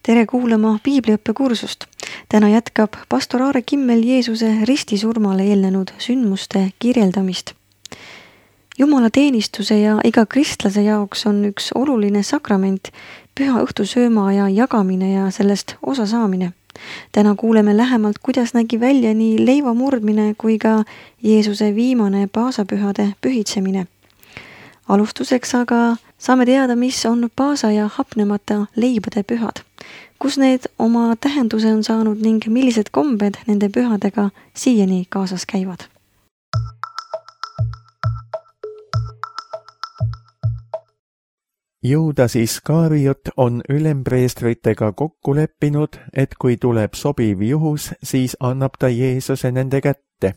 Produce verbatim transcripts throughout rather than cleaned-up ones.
Tere kuulama piibliõppekursust. Täna jätkab pastor Aare Kimmel Jeesuse ristisurmale eelnenud sündmuste kirjeldamist. Jumala teenistuse ja iga kristlase jaoks on üks oluline sakrament, püha õhtusööma ja jagamine ja sellest osa saamine. Täna kuuleme lähemalt, kuidas nägi välja nii leiva murdmine kui ka Jeesuse viimane paasapühade pühitsemine. Alustuseks aga saame teada, mis on paasa ja hapnemata leibade pühad, kus need oma tähenduse on saanud ning millised kombed nende pühadega siiani kaasas käivad. Juudas Iskariot on ülempreestritega kokku leppinud, et kui tuleb sobiv juhus, siis annab ta Jeesuse nende kätte.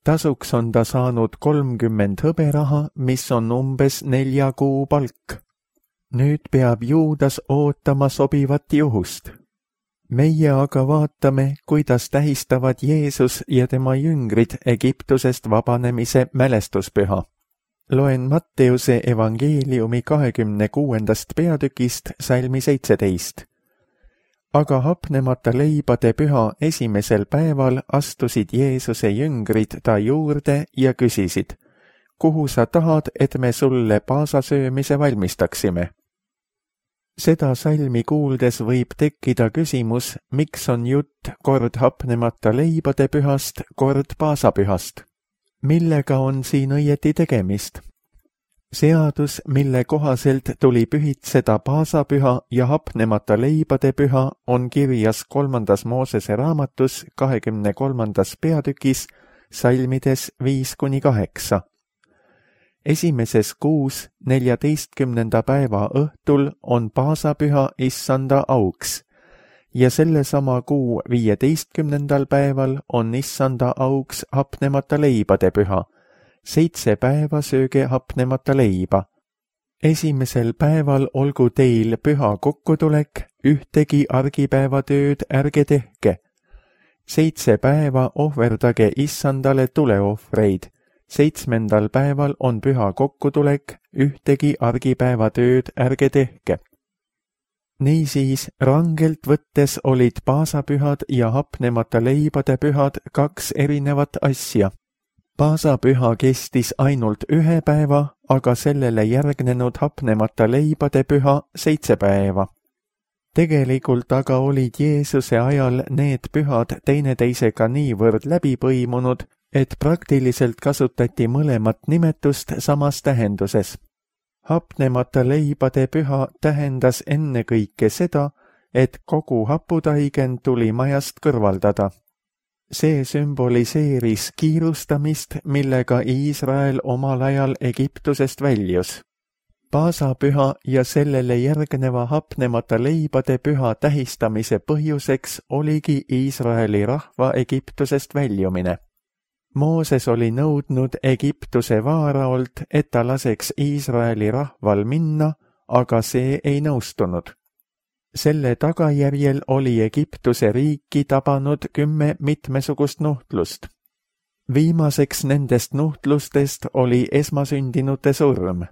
Tasuks on ta saanud kolmkümmend hõberaha, mis on umbes nelja kuu palk. Nüüd peab Juudas ootama sobivat juhust. Meie aga vaatame, kuidas tähistavad Jeesus ja tema jüngrid Egiptusest vabanemise mälestuspüha. Loen Matteuse evangeeliumi kahekümne kuuendast peatükist salmi seitseteist. Aga hapnemata leibade püha esimesel päeval astusid Jeesuse jüngrid ta juurde ja küsisid, kuhu sa tahad, et me sulle paasasöömise valmistaksime? Seda salmi kuuldes võib tekkida küsimus, miks on jutt kord hapnemata leibade pühast, kord paasapühast. Millega on siin õieti tegemist? Seadus, mille kohaselt tuli pühitseda paasapüha ja hapnemata leibade püha, on kirjas kolmandas Moosese raamatus kahekümne kolmandas peatükis salmides viis kuni kaheksa. Esimeses kuus neljateistkümnenda päeva õhtul on paasapüha issanda auks ja sellesama kuu viieteistkümnendal päeval on issanda auks hapnemata leibade püha. Seitse päeva sööge hapnemata leiba. Esimesel päeval olgu teil püha kokkutulek, ühtegi argipäevatööd ärge tehke. Seitse päeva ohverdage issandale tuleohvreid. Seitsmendal päeval on püha kokkutulek, ühtegi argipäevatööd ärge tehke. Niisiis, rangelt võttes olid paasapühad ja hapnemata leibade pühad kaks erinevat asja. Paasapüha kestis ainult ühe päeva, aga sellele järgnenud hapnemata leibade püha seitse päeva. Tegelikult aga olid Jeesuse ajal need pühad teineteisega niivõrd läbi põimunud, et praktiliselt kasutati mõlemat nimetust samas tähenduses. Hapnemata leibade püha tähendas ennekõike seda, et kogu haputaigen tuli majast kõrvaldada. See sümboliseeris kiirustamist, millega Iisrael omal ajal Egiptusest väljus. Paasapüha ja sellele järgneva hapnemata leibade püha tähistamise põhjuseks oligi Iisraeli rahva Egiptusest väljumine. Mooses oli nõudnud Egiptuse vaaraolt, et ta laseks Iisraeli rahval minna, aga see ei nõustunud. Selle tagajärjel oli Egiptuse riiki tabanud kümme mitmesugust nuhtlust. Viimaseks nendest nuhtlustest oli esmasündinute surm.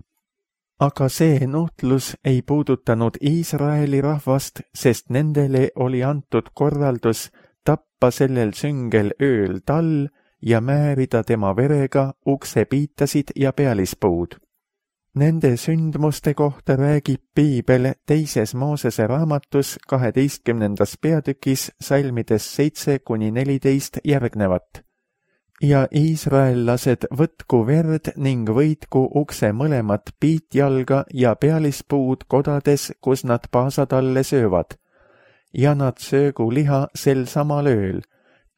Aga see nuhtlus ei puudutanud Iisraeli rahvast, sest nendele oli antud korraldus tappa sellel süngel ööl tall ja määrida tema verega uksepiitasid ja pealispuud. Nende sündmuste kohta räägib Piibel teises Moosese raamatus kaheteistkümnendas peatükis salmides seitse kuni neliteist järgnevat. Ja iisraellased võtku verd ning võitku ukse mõlemat piitjalga ja pealispuud kodades, kus nad paasatalle söövad. Ja nad söögu liha sel samal ööl,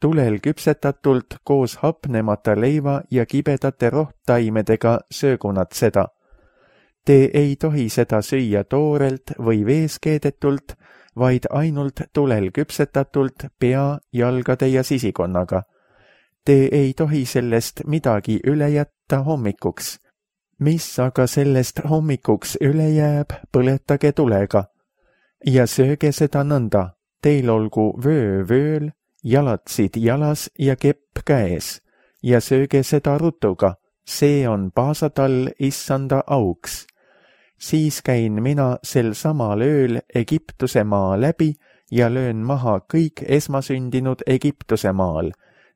tulel küpsetatult koos hapnemata leiva ja kibedate rohttaimedega söögu nad seda. Te ei tohi seda süüa toorelt või vees keedetult, vaid ainult tulel küpsetatult pea, jalgade ja sisikonnaga. Te ei tohi sellest midagi üle jätta hommikuks. Mis aga sellest hommikuks üle jääb, põletage tulega. Ja sööge seda nõnda, teil olgu vöö vööl, jalatsid jalas ja kepp käes. Ja sööge seda rutuga, see on paasatall issanda auks. siis käin mina sel samal ööl Egiptuse maa läbi ja löön maha kõik esmasündinud Egiptuse maal,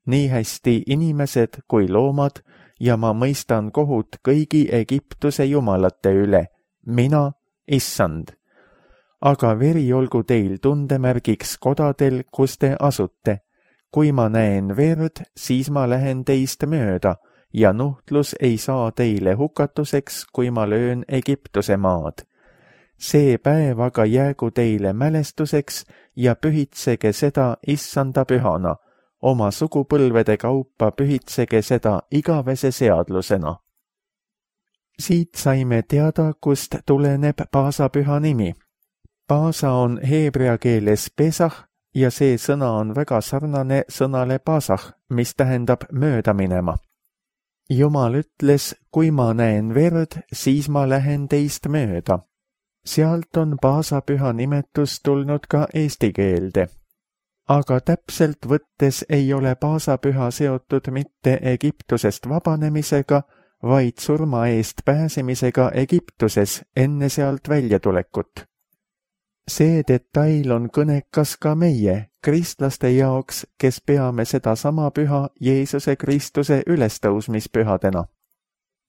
nii hästi inimesed kui loomad, ja ma mõistan kohut kõigi Egiptuse jumalate üle, mina, issand. Aga veri olgu teil tundemärgiks kodadel, kus te asute. Kui ma näen verd, siis ma lähen teist mööda, ja nuhtlus ei saa teile hukatuseks, kui ma löön Egiptuse maad. See päev aga jäägu teile mälestuseks ja pühitsege seda issanda pühana. Oma sugupõlvede kaupa pühitsege seda igavese seadlusena. Siit saime teada, kust tuleneb paasapüha nimi. Paasa on heebrea keeles pesah ja see sõna on väga sarnane sõnale paasah, mis tähendab mööda minema. Jumal ütles, kui ma näen verd, siis ma lähen teist mööda. Sealt on paasapüha nimetus tulnud ka eesti keelde. Aga täpselt võttes ei ole paasapüha seotud mitte Egiptusest vabanemisega, vaid surma eest pääsemisega Egiptuses enne sealt väljatulekut. See detail on kõnekas ka meie, kristlaste jaoks, kes peame seda sama püha Jeesuse Kristuse ülestõusmispühadena.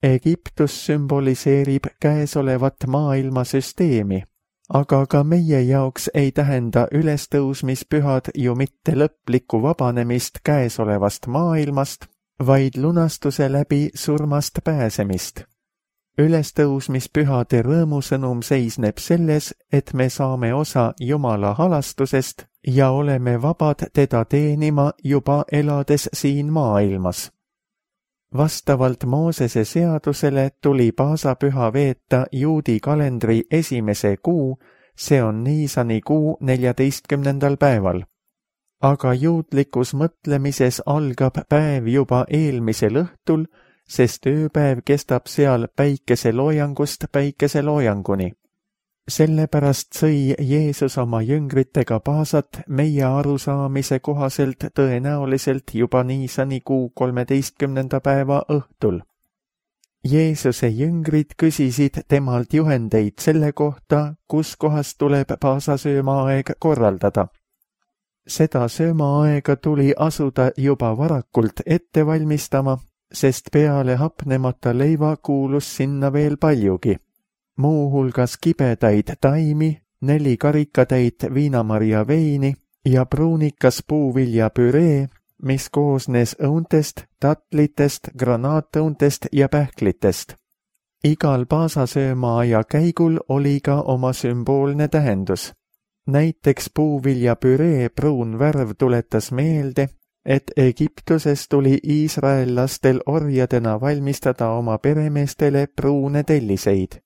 Egiptus sümboliseerib käesolevat maailmasüsteemi, aga ka meie jaoks ei tähenda ülestõusmispühad ju mitte lõplikku vabanemist käesolevast maailmast, vaid lunastuse läbi surmast pääsemist. Ülestõusmispühade rõõmusõnum seisneb selles, et me saame osa Jumala halastusest ja oleme vabad teda teenima juba elades siin maailmas. Vastavalt Moosese seadusele tuli paasapüha veeta juudi kalendri esimese kuu, see on Niisani kuu neljateistkümnendal päeval. Aga juudlikus mõtlemises algab päev juba eelmisel õhtul, sest ööpäev kestab seal päikeseloojangust päikeseloojanguni. Sellepärast sõi Jeesus oma jüngritega paasat meie arusaamise kohaselt tõenäoliselt juba Niisani kuu kolmeteistkümnenda päeva õhtul. Jeesuse jüngrid küsisid temalt juhendeid selle kohta, kus kohas tuleb paasasöömaaeg korraldada. Seda söömaaega tuli asuda juba varakult ette valmistama, sest peale hapnemata leiva kuulus sinna veel paljugi. Muu hulgas kibedaid taimi, neli karikatäit viinamarja veini ja pruunikas puuvilja püree, mis koosnes õuntest, tatlitest, granaatõuntest ja pähklitest. Igal paasasöömaaja käigul oli ka oma sümboolne tähendus. Näiteks puuvilja püree pruun värv tuletas meelde, et Egiptuses tuli iisraellastel orjadena valmistada oma peremeestele pruune telliseid.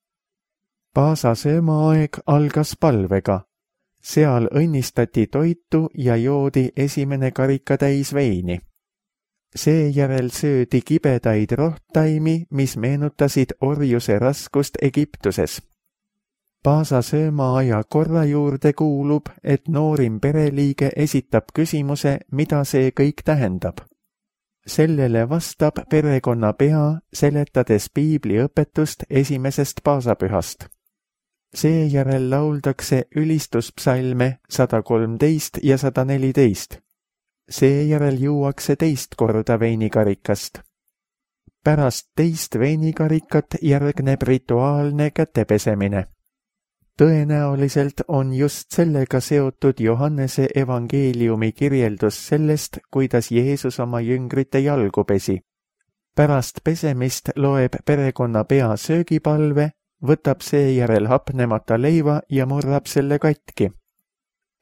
Paasasöömaaeg algas palvega. Seal õnnistati toitu ja joodi esimene karikatäis veini. Seejärel söödi kibedaid rohttaimi, mis meenutasid orjuse raskust Egiptuses. Paasasöömaaja korra juurde kuulub, et noorim pereliige esitab küsimuse, mida see kõik tähendab. Sellele vastab perekonna pea, seletades piibliõpetust esimesest paasapühast. Seejärel lauldakse ülistuspsalme sada kolmteist ja sada neliteist. Seejärel juuakse teist korda veinikarikast. Pärast teist veinikarikat järgneb rituaalne kätepesemine. Tõenäoliselt on just sellega seotud Johannese evangeeliumi kirjeldus sellest, kuidas Jeesus oma jüngrite jalgu pesi. Pärast pesemist loeb perekonna pea söögipalve, võtab seejärel hapnemata leiva ja murrab selle katki.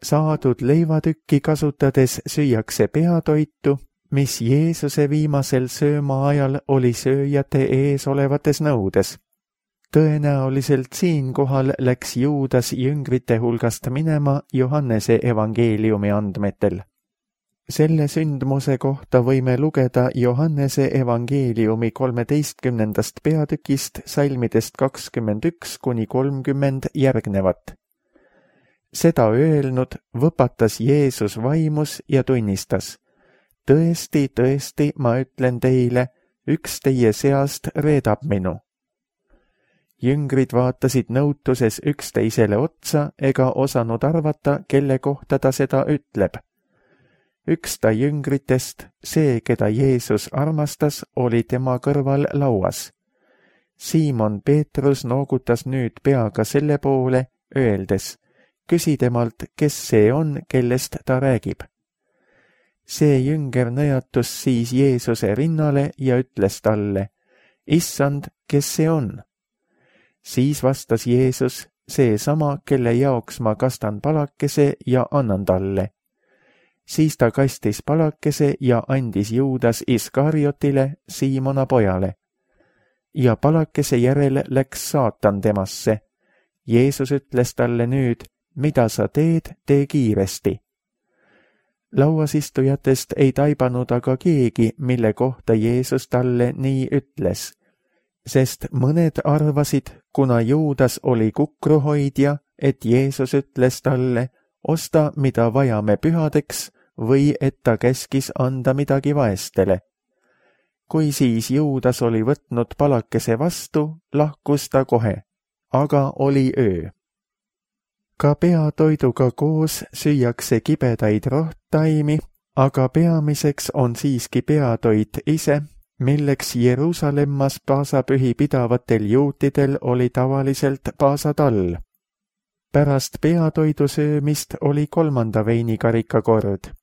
Saadud leivatükki kasutades süüakse peatoitu, mis Jeesuse viimasel sööma ajal oli sööjate ees olevates nõudes. Tõenäoliselt siinkohal läks Juudas jüngrite hulgast minema Johannese evangeeliumi andmetel. Selle sündmuse kohta võime lugeda Johannese evangeeliumi kolmeteistkümnendast peatükist salmidest kakskümmend üks kuni kolmkümmend järgnevat. Seda öelnud võpatas Jeesus vaimus ja tunnistas: tõesti, tõesti, ma ütlen teile, üks teie seast reedab minu. Jüngrid vaatasid nõutuses üksteisele otsa ega osanud arvata, kelle kohta ta seda ütleb. Üks ta jüngritest, see, keda Jeesus armastas, oli tema kõrval lauas. Siimon Peetrus noogutas nüüd peaga selle poole, öeldes, küsi temalt, kes see on, kellest ta räägib. See jünger nõjatus siis Jeesuse rinnale ja ütles talle, Issand, kes see on? Siis vastas Jeesus, see sama, kelle jaoks ma kastan palakese ja annan talle. Siis ta kastis palakese ja andis Juudas Iskariotile, Siimona pojale. Ja palakese järel läks saatan temasse. Jeesus ütles talle nüüd, mida sa teed, tee kiiresti. Lauasistujatest ei taibanud aga keegi, mille kohta Jeesus talle nii ütles, sest mõned arvasid, kuna Juudas oli kukruhoidja, et Jeesus ütles talle, osta, mida vajame pühadeks, või et ta käskis anda midagi vaestele. Kui siis Juudas oli võtnud palakese vastu, lahkus ta kohe, aga oli öö. Ka peatoiduga koos süüakse kibedaid rohttaimi, aga peamiseks on siiski peatoit ise, milleks Jeruusalemmas paasapühi pidavatel juutidel oli tavaliselt paasatall. Pärast peatoidu söömist oli kolmanda veinikarika kord.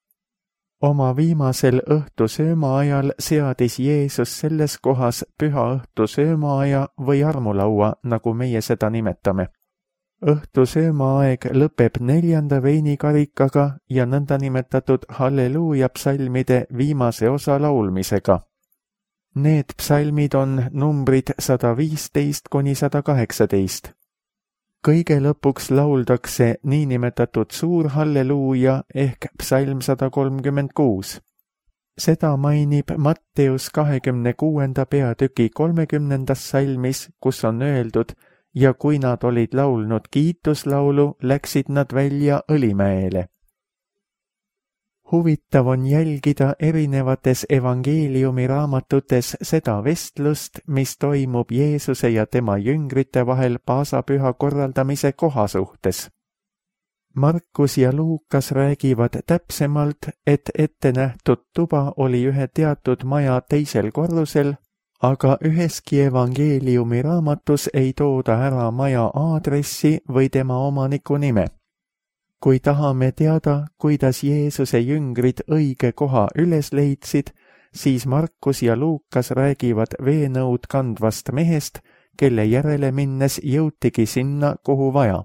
Oma viimasel õhtusööma ajal seadis Jeesus selles kohas püha õhtusöömaaja või armulaua, nagu meie seda nimetame. Õhtusöömaaeg lõpeb neljanda veinikarikaga ja nõndanimetatud halleluuja psalmide viimase osa laulmisega. Need psalmid on numbrid sada viisteist kuni sada kaheksateist. Kõige lõpuks lauldakse niinimetatud suur halleluuja ehk psalm sada kolmkümmend kuus. Seda mainib Matteus kahekümne kuuenda peatüki kolmekümnendas salmis, kus on öeldud, ja kui nad olid laulnud kiituslaulu, läksid nad välja Õlimäele. Huvitav on jälgida erinevates evangeeliumi raamatutes seda vestlust, mis toimub Jeesuse ja tema jüngrite vahel paasapüha korraldamise koha suhtes. Markus ja Luukas räägivad täpsemalt, et ette nähtud tuba oli ühe teatud maja teisel korrusel, aga üheski evangeeliumi raamatus ei tooda ära maja aadressi või tema omaniku nime. Kui tahame teada, kuidas Jeesuse jüngrid õige koha üles leidsid, siis Markus ja Luukas räägivad veenõud kandvast mehest, kelle järele minnes jõutigi sinna, kuhu vaja.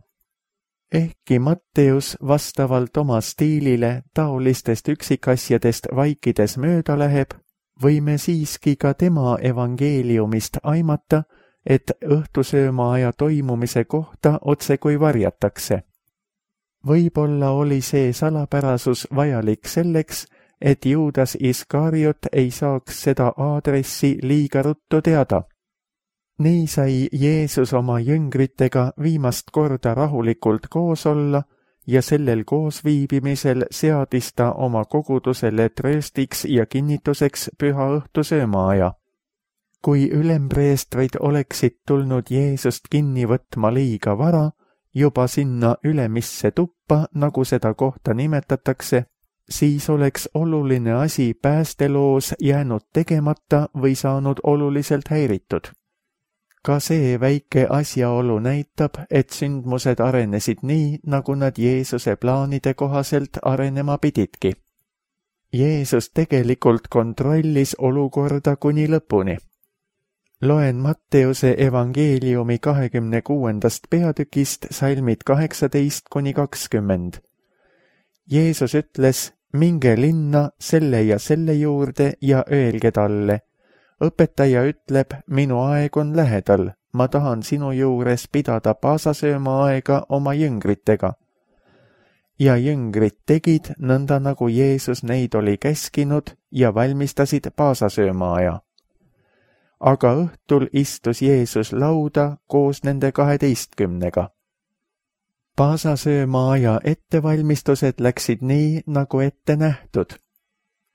Ehkki Matteus vastavalt oma stiilile taolistest üksikasjadest vaikides mööda läheb, võime siiski ka tema evangeeliumist aimata, et õhtusöömaaja toimumise kohta otsekui varjatakse. Võib-olla oli see salapärasus vajalik selleks, et Juudas Iskariot ei saaks seda aadressi liiga ruttu teada. Nii sai Jeesus oma jüngritega viimast korda rahulikult koos olla ja sellel koosviibimisel seadis ta oma kogudusele trööstiks ja kinnituseks püha õhtusöömaaja. Kui ülempreestrid oleksid tulnud Jeesust kinni võtma liiga vara, juba sinna ülemisse tuppa, nagu seda kohta nimetatakse, siis oleks oluline asi päästeloos jäänud tegemata või saanud oluliselt häiritud. Ka see väike asjaolu näitab, et sündmused arenesid nii, nagu nad Jeesuse plaanide kohaselt arenema pididki. Jeesus tegelikult kontrollis olukorda kuni lõpuni. Loen Matteuse evangeeliumi kahekümne kuuendast peatükist salmid kaheksateist kuni kakskümmend. Jeesus ütles, minge linna selle ja selle juurde ja öelge talle, õpetaja ütleb, minu aeg on lähedal, ma tahan sinu juures pidada paasasööma aega oma jüngritega. Ja jüngrid tegid nõnda, nagu Jeesus neid oli käskinud ja valmistasid paasasööma aja. Aga õhtul istus Jeesus lauda koos nende kaheteistkümnega. Paasasööma aja ettevalmistused läksid nii, nagu ette nähtud.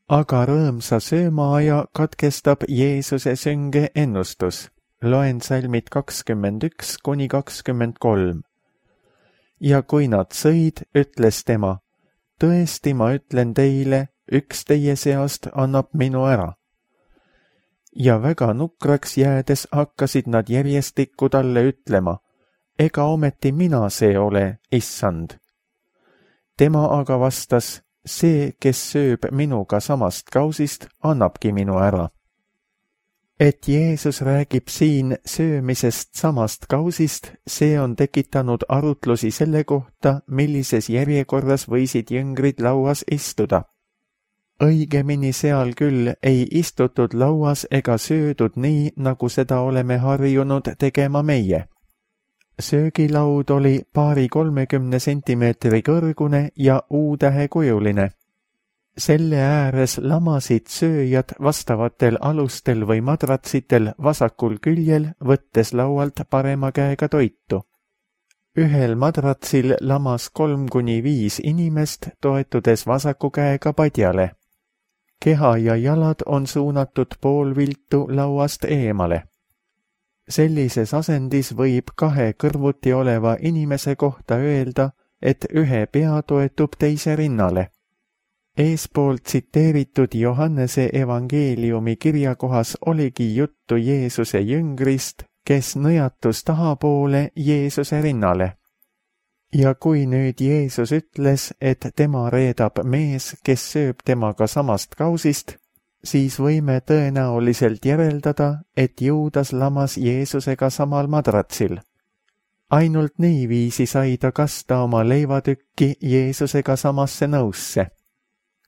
Aga rõõmsa söömaaja katkestab Jeesuse sünge ennustus. Loen salmid kakskümmend üks kuni kakskümmend kolm. Ja kui nad sõid, ütles tema, tõesti ma ütlen teile, üks teie seast annab minu ära. Ja väga nukraks jäädes hakkasid nad järjestikku talle ütlema, ega ometi mina see ole, issand. Tema aga vastas, see, kes sööb minuga samast kausist, annabki minu ära. Et Jeesus räägib siin söömisest samast kausist, see on tekitanud arutlusi selle kohta, millises järjekorras võisid jüngrid lauas istuda. Õigemini seal küll ei istutud lauas ega söödud nii, nagu seda oleme harjunud tegema meie. Söögilaud oli paari kolmekümne sentimeetri kõrgune ja U-tähekujuline. Selle ääres lamasid sööjad vastavatel alustel või madratsitel vasakul küljel, võttes laualt parema käega toitu. Ühel madratsil lamas kolm kuni viis inimest, toetudes vasaku käega padjale. Keha ja jalad on suunatud poolviltu lauast eemale. Sellises asendis võib kahe kõrvuti oleva inimese kohta öelda, et ühe pea toetub teise rinnale. Eespoolt tsiteeritud Johannese evangeeliumi kirjakohas oligi juttu Jeesuse jüngrist, kes nõjatus tahapoole Jeesuse rinnale. Ja kui nüüd Jeesus ütles, et tema reedab mees, kes sööb temaga samast kausist, siis võime tõenäoliselt järeldada, et Juudas lamas Jeesusega samal madratsil. Ainult niiviisi sai ta kasta oma leivatükki Jeesusega samasse nõusse.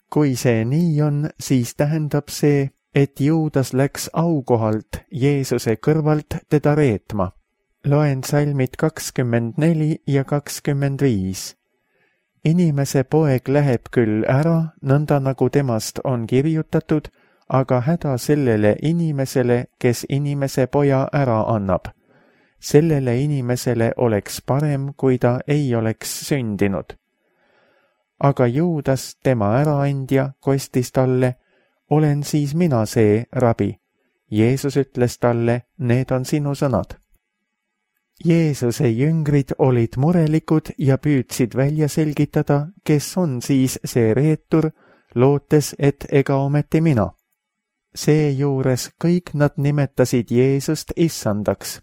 Kui see nii on, siis tähendab see, et Juudas läks aukohalt Jeesuse kõrvalt teda reetma. Loen salmid kakskümmend neli ja kakskümmend viis. Inimese poeg läheb küll ära, nõnda nagu temast on kirjutatud, aga häda sellele inimesele, kes inimese poja ära annab. Sellele inimesele oleks parem, kui ta ei oleks sündinud. Aga Juudas, tema äraandja, kostis talle, olen siis mina see, rabi. Jeesus ütles talle, need on sinu sõnad. Jeesuse jüngrid olid murelikud ja püüdsid välja selgitada, kes on siis see reetur, lootes, et ega ometi mina. Seejuures kõik nad nimetasid Jeesust issandaks.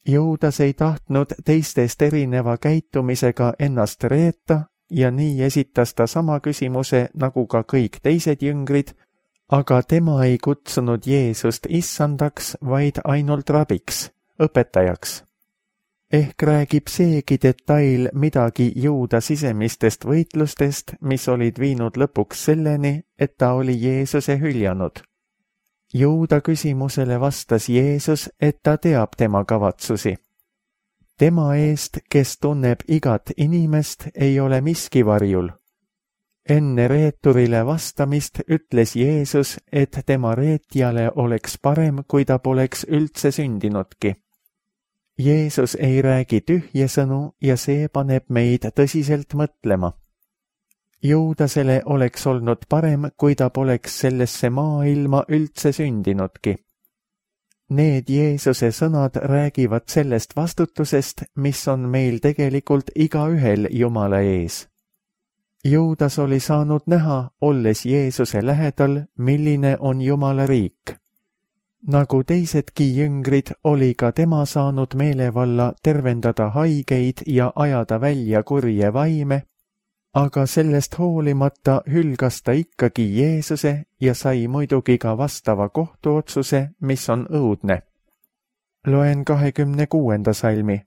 Juudas ei tahtnud teistest erineva käitumisega ennast reeta ja nii esitas ta sama küsimuse nagu ka kõik teised jüngrid, aga tema ei kutsunud Jeesust issandaks, vaid ainult rabiks, õpetajaks. Ehk räägib seegi detail midagi Juuda sisemistest võitlustest, mis olid viinud lõpuks selleni, et ta oli Jeesuse hüljanud. Juuda küsimusele vastas Jeesus, et ta teab tema kavatsusi. Tema eest, kes tunneb igat inimest, ei ole miski varjul. Enne reeturile vastamist ütles Jeesus, et tema reetjale oleks parem, kui ta poleks üldse sündinudki. Jeesus ei räägi tühje sõnu ja see paneb meid tõsiselt mõtlema. Juudasele oleks olnud parem, kui ta poleks sellesse maailma üldse sündinudki. Need Jeesuse sõnad räägivad sellest vastutusest, mis on meil tegelikult igaühel Jumala ees. Juudas oli saanud näha, olles Jeesuse lähedal, milline on Jumala riik. Nagu teisedki jüngrid, oli ka tema saanud meelevalla tervendada haigeid ja ajada välja kurje vaime, aga sellest hoolimata hülgas ta ikkagi Jeesuse ja sai muidugi ka vastava kohtuotsuse, mis on õudne. Loen kahekümne kuuenda salmi.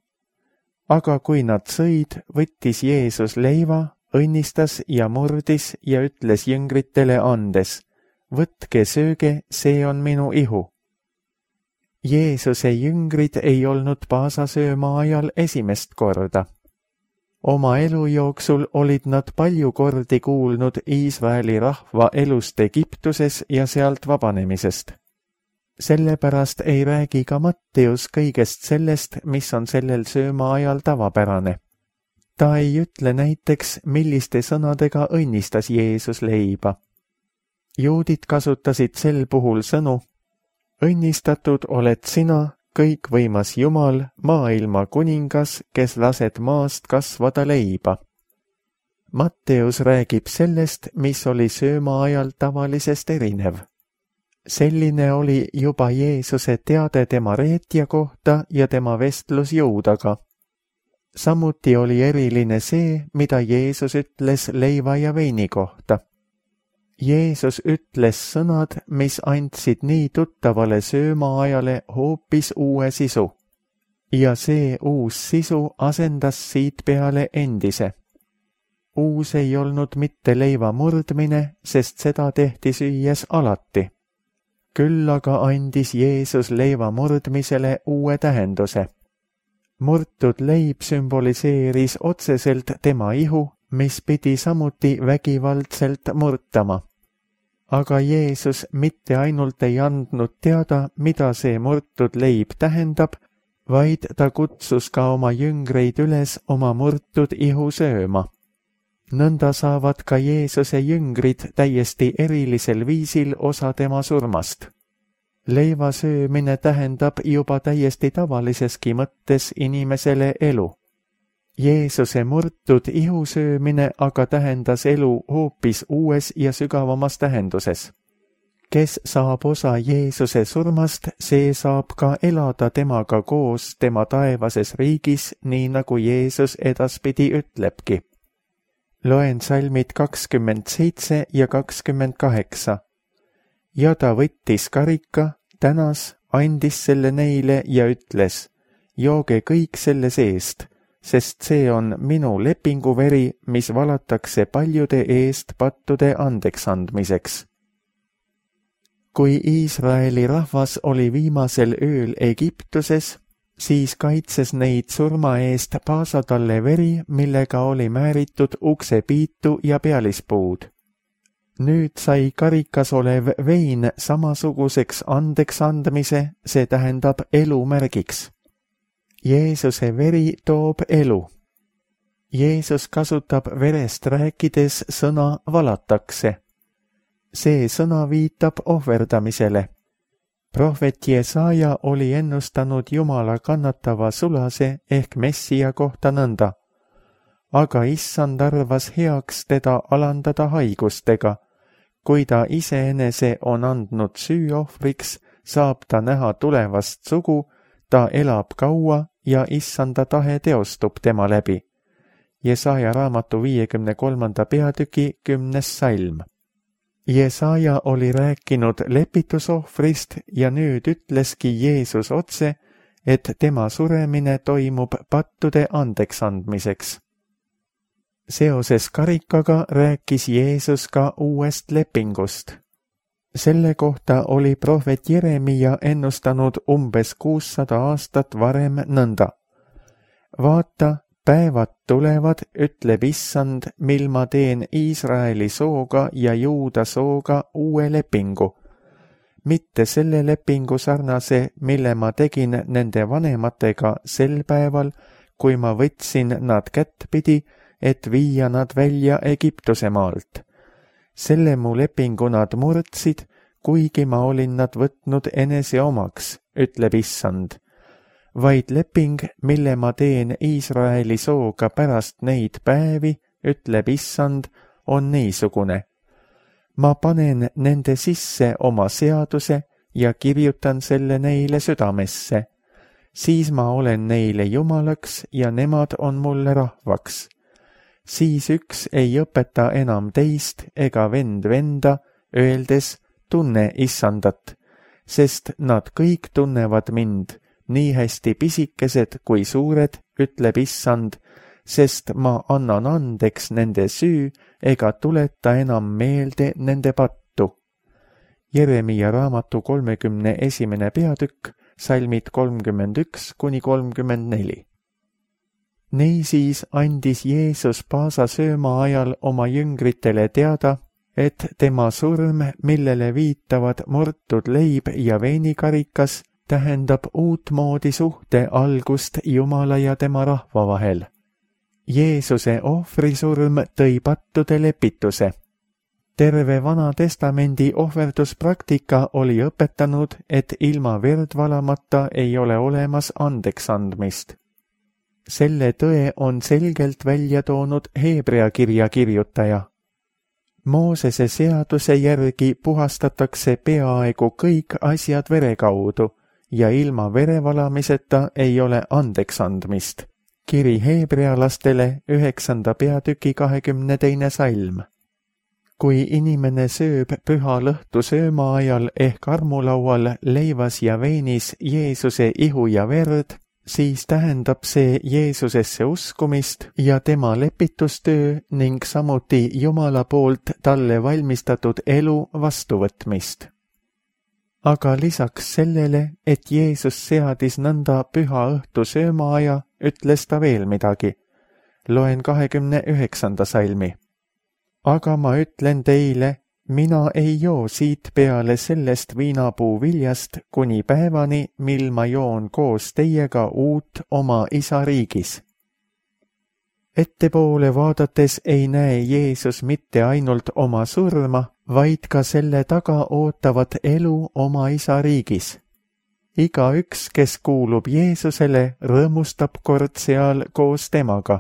Aga kui nad sõid, võttis Jeesus leiva, õnnistas ja murdis ja ütles jüngritele andes, võtke sööge, see on minu ihu. Jeesuse jüngrid ei olnud paasasööma ajal esimest korda. Oma elu jooksul olid nad palju kordi kuulnud Iisraeli rahva elust Egiptuses ja sealt vabanemisest. Sellepärast ei räägi ka Matteus kõigest sellest, mis on sellel sööma ajal tavapärane. Ta ei ütle näiteks, milliste sõnadega õnnistas Jeesus leiba. Juudid kasutasid sel puhul sõnu, õnnistatud oled sina, kõikvõimas Jumal, maailma kuningas, kes lased maast kasvada leiba. Matteus räägib sellest, mis oli sööma ajal tavalisest erinev. Selline oli juba Jeesuse teade tema reetja kohta ja tema vestlus Juudaga. Samuti oli eriline see, mida Jeesus ütles leiva ja veini kohta. Jeesus ütles sõnad, mis andsid nii tuttavale söömaajale hoopis uue sisu. Ja see uus sisu asendas siit peale endise. Uus ei olnud mitte leiva murdmine, sest seda tehti süües alati. Küll aga andis Jeesus leiva murdmisele uue tähenduse. Murtud leib sümboliseeris otseselt tema ihu, mis pidi samuti vägivaldselt murtama. Aga Jeesus mitte ainult ei andnud teada, mida see murtud leib tähendab, vaid ta kutsus ka oma jüngreid üles oma murtud ihu sööma. Nõnda saavad ka Jeesuse jüngrid täiesti erilisel viisil osa tema surmast. Leiva söömine tähendab juba täiesti tavaliseski mõttes inimesele elu. Jeesuse murtud ihu söömine aga tähendas elu hoopis uues ja sügavamas tähenduses. Kes saab osa Jeesuse surmast, see saab ka elada temaga koos tema taevases riigis, nii nagu Jeesus edaspidi ütlebki. Loen salmid kakskümmend seitse ja kakskümmend kaheksa. Ja ta võttis karika, tänas, andis selle neile ja ütles, jooge kõik selle seest, sest see on minu lepinguveri, mis valatakse paljude eest pattude andeks andmiseks. Kui Iisraeli rahvas oli viimasel ööl Egiptuses, siis kaitses neid surma eest paasatalle veri, millega oli määritud uksepiitu ja pealispuud. Nüüd sai karikas olev vein samasuguseks andeks andmise, see tähendab elu märgiks. Jeesuse veri toob elu. Jeesus kasutab verest rääkides sõna valatakse. See sõna viitab ohverdamisele. Prohvet Jesaja oli ennustanud Jumala kannatava sulase ehk Messia kohta nõnda. Aga issand arvas heaks teda alandada haigustega. Kui ta iseenese on andnud süüohvriks, saab ta näha tulevast sugu, ta elab kaua ja issanda tahe teostub tema läbi. Jesaja raamatu viiekümne kolmanda peatüki kümnes salm. Jesaja oli rääkinud lepitusohvrist ja nüüd ütleski Jeesus otse, et tema suremine toimub pattude andeks andmiseks. Seoses karikaga rääkis Jeesus ka uuest lepingust. Selle kohta oli prohvet Jeremia ennustanud umbes kuussada aastat varem nõnda. Vaata, päevad tulevad, ütleb issand, mil ma teen Iisraeli sooga ja Juuda sooga uue lepingu. Mitte selle lepingu sarnase, mille ma tegin nende vanematega sel päeval, kui ma võtsin nad kättpidi, et viia nad välja Egiptuse maalt. Selle mu lepingu nad murdsid, kuigi ma olin nad võtnud enese omaks, ütleb issand. Vaid leping, mille ma teen Iisraeli sooga pärast neid päevi, ütleb issand, on niisugune. Ma panen nende sisse oma seaduse ja kirjutan selle neile südamesse. Siis ma olen neile jumalaks ja nemad on mulle rahvaks. Siis üks ei õpeta enam teist ega vend venda, öeldes tunne issandat, sest nad kõik tunnevad mind, nii hästi pisikesed kui suured, ütleb issand, sest ma annan andeks nende süü ega tuleta enam meelde nende pattu. Jeremia raamatu kolmekümne esimene peatükk, salmid kolmkümmend üks kuni kolmkümmend neli. Niisiis andis Jeesus paasa sööma ajal oma jüngritele teada, et tema surm, millele viitavad murtud leib ja veinikarikas, tähendab uutmoodi suhte algust Jumala ja tema rahva vahel. Jeesuse ohvrisurm tõi pattude lepituse. terve Vana Testamendi ohverduspraktika oli õpetanud, et ilma verd valamata ei ole olemas andeks andmist. Selle tõe on selgelt välja toonud Heebrea kirja kirjutaja. Moosese seaduse järgi puhastatakse peaaegu kõik asjad vere kaudu ja ilma verevalamiseta ei ole andeks andmist. Kiri heebrealastele üheksanda peatüki kahekümne teine salm. Kui inimene sööb püha lõhtu sööma ajal ehk armulaual leivas ja veinis Jeesuse ihu ja verd, siis tähendab see Jeesusesse uskumist ja tema lepitustöö ning samuti Jumala poolt talle valmistatud elu vastuvõtmist. Aga lisaks sellele, et Jeesus seadis nõnda püha õhtu söömaaja, ütles ta veel midagi. Loen kahekümne üheksanda salmi. Aga ma ütlen teile, mina ei joo siit peale sellest viinapuu viljast kuni päevani, mil ma joon koos teiega uut oma isa riigis. Ettepoole vaadates ei näe Jeesus mitte ainult oma surma, vaid ka selle taga ootavat elu oma isa riigis. Igaüks, kes kuulub Jeesusele, rõõmustab kord seal koos temaga.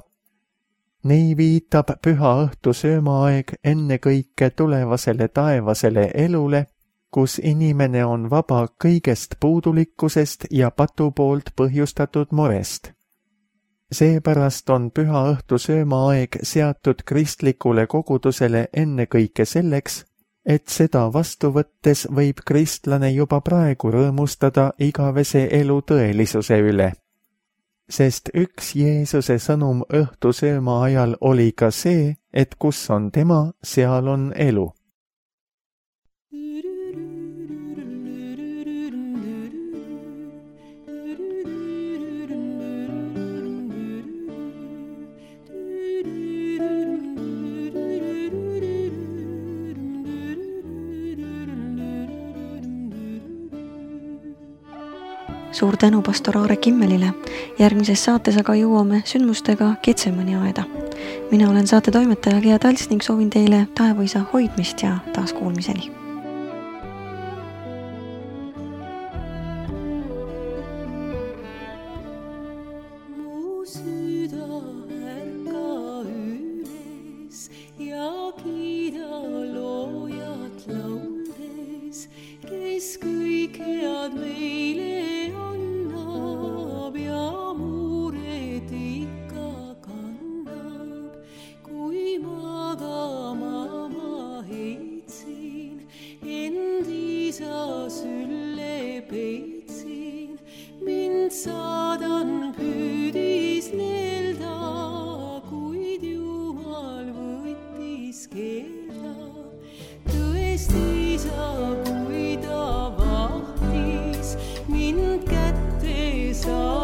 Nii viitab püha õhtu söömaaeg ennekõike tulevasele taevasele elule, kus inimene on vaba kõigest puudulikkusest ja patu poolt põhjustatud murest. Seepärast on püha õhtu söömaaeg seatud kristlikule kogudusele ennekõike selleks, et seda vastu võttes võib kristlane juba praegu rõõmustada igavese elu tõelisuse üle. Sest üks Jeesuse sõnum õhtu sööma ajal oli ka see, et kus on tema, seal on elu. Suur tänu pastor Aare Kimmelile. Järgmises saates aga jõuame sündmustega Getsemani aeda. Mina olen saate toimetaja Gea Tals ning soovin teile taevaisa hoidmist ja taaskuulmiseni. Mu süda ärka üles ja kiida loojat laudes, kes kõik head meile saadan püüdis neelda, kuid Jumal võttis keelda. Tõesti sa, kui ta vahtis mind kätte sa